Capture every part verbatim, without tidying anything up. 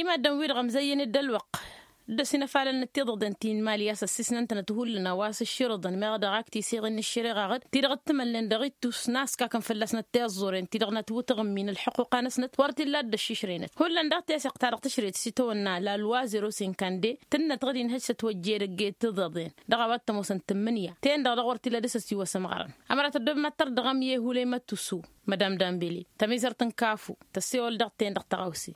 Imaddǝn-wi-dăɣ ămzăyyăn-dd ălwăqq dd-ăsinăfalălnăt tiḍăḍen ti n-imali a-s ăssisnăn-tănăt hullan a-wa s-ǝšširǝḍăn meɣ dăɣ-ak tiseɣen n-ǝššăreɣa ɣǝd ti-dăɣ t-tǝmălnen dăɣ-ittus n-askakăn fălla-snăt tiẓẓuren ti-dăɣ n-ătwǝtǝɣǝmmi n-ălḥuqquqa-năsnăt wăr t-illa a dd-ăššišrăynăt hullan daɣ teseɣt-ta-dăɣ tǝšrăyăt s-itawănna la loi zero cinquante tǝnnăt ɣǝd-in hăjjăt wăjjed ăgg-e tiḍăḍen dăɣ-a-wa t-ămoosăn tǝmmǝnǝya ten-dăɣ dăɣ-wăr t-illa dăr-s ăsiwăsăm ɣărăn. Ămăra tăddob mad-tărdăɣăm i-ehulăy măttusu madam dambele tămizărt n-kafu tăssewăl dăɣ-ten-dăɣ tăɣawse.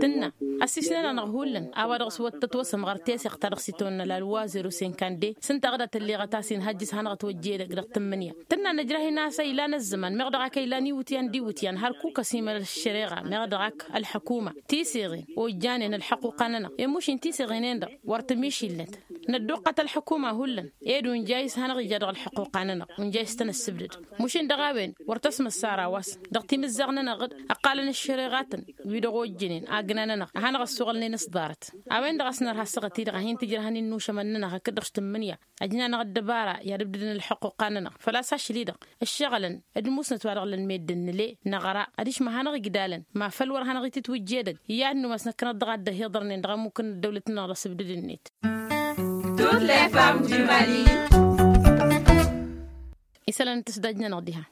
Tǝnna ăssiisnen-anăɣ hullan a-wa dăɣ-s wăr tătwăsăm ɣăr teseɣt ta dăɣ-s itwănna la loi zero cinquante s-ǝnta a ɣǝd a tălleɣăt a-s inhăjjǝs hanăɣ-ătwăjja edăgg dăɣ-tǝmmǝnǝya. Tǝnna nǝjrah-in a-s a ilan ăzzăman meɣ dăɣ-ak a ilan iwǝtyan d-iwǝtyan hărkuk ăsimăl ăššăreɣa meɣ dăɣ-ak ălḥăkuma tiseɣen ojjanen ălḥăquqa-nănăɣ i-mušin tiseɣen-en-dăɣ wăr tămišilnăt. Nădduqqăt ălḥăkuma hullan ed unjay s-hanăɣ-ija dăɣ-ălḥăqquqa-nănăɣ unjay s-tăn-ăssǝbdăd. Mušin dăɣ-a-wen wăr tăsmăssar a-wa s-dăɣ timǝzzaɣ-nănăɣ-dd ǝqqalăn ăššăreɣatăn wi-dăɣ ojjănen agna-nănăɣ a hanăɣ-ăssuɣălnen s-ḍarăt. A-wen-dăɣ a-s nărha ăssaɣăt-i-dăɣ a hin-tǝjrăhăn-in n-ušămăn-nănăɣ hakd-dăɣ s-tǝmmǝnǝya ăjnan-aɣ ăddăbara i-ad-ǝbdǝdăn ălḥuqquqa-nănăɣ făl-a-s ašli-dăɣ ǝššăɣǝlăn d-musnăt wa dăɣ-lăn meddǝn nǝle năɣra adiš ma hanăɣ-igdalăn ma făl wăr hanăɣ-itǝtwǝjja edăgg. I-ad-numas năkkăneḍ-dăɣ a dd-ăhiḍărnen dăɣ-ămmuk n-ăddăwlăt-nănăɣ dăɣ-sǝbdǝd-net. Tutlayt fam jimali. Isălan n-tǝsdaj-nănăɣ diha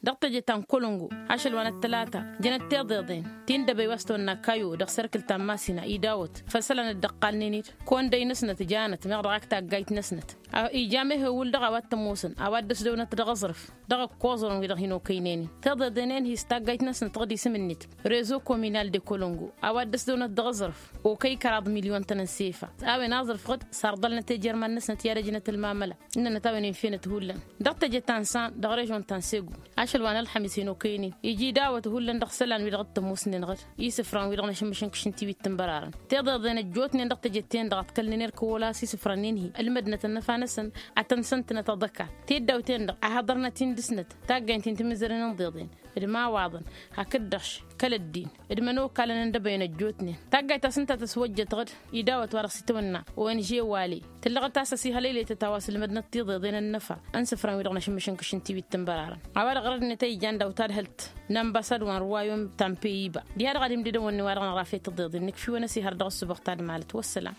dăɣ-teje ta n-kolongo ašăl wa n-ăttălata jănăt tiḍeḍen ti n-dăbăy wa s-tăwănna kayo dăɣ-serkǝl ta n-masina idawăt făll-isălan dd-ăqqalnen-dd kăwăn-dăy-năsnăt janăt meɣ dăɣ-ak taggayt-năsnăt. Ija mehewǝl dăɣ-a-wa t-ămoosăn a-wa dd-ăsdăwnăt dăɣ-aẓrǝf dăɣ-ăkkoẓrăn wi-dăɣ hin-okăynen-in tiḍeḍen-en hi-s taggayt-năsnăt tăɣ-dd-isǝm-net rezo kominal de kolongo a-wa dd-ăsdăwnăt dăɣ-aẓrǝf okăy kăraḍ milyon-tăn n-sefa. A-wen aẓrǝf ɣǝd sarḍălnăt ejerman-năsnăt i-ad-ăjnăt ălmamăla ǝnnănăt a-wen infenăt hullan dăɣ-teje ta n-san dăɣ-režon ta n-segu. Ašăl wa n-ălxămis hin-okăynen ija idawăt hullan dăɣ-isălan-wi-dăɣ t-ămoosnen ɣǝd isǝfran-wi-dăɣ n-ašǝmmǝšǝnkǝš n-tiwit tǝnbărarăn tiḍeḍen ăjjootnen dăɣ-teje-ten-dăɣ a ǝḍkălnen erk ăwwăla s-isǝfran-in-hi ǝlmădnăt ănnăfa-năsăn ad-tăn-săn-tǝnăt aḍăkkat. Tiddaw-ten-dăɣ a hăḍărnăt-in dăɣ-snăt taggayt-in timǝzzăren n-iḍeḍen d-imawaḍăn hakd-dăɣ-š kăl-ăddin d-imănokalăn n-dăbăyăn ăjjootnen. Taggayt ta s-ǝnta tăswăjjăt ɣǝd idawăt wa dăɣ-s-itwănna ong wale tǝllăɣăt a-s ăsihălăylăytăt a-wa s-ǝlmădnăt tiḍeḍen ănnăfa n-isǝfran-wi-dăɣ n-ašǝmmǝšǝnkǝš n-tiwit tǝnbărarăn. A-wa-dăɣ ɣărădnet a ijan d-awtadhălt n-ambăsad wa n-ruwayum ta n-peyiba diha-dăɣ ad-imdǝdăn wănne wa dăɣ-năɣrafe tiḍeḍen nǝkf'-iwăn ăsihăr dăɣ-ăssubăɣ tadmalăt wăssălam.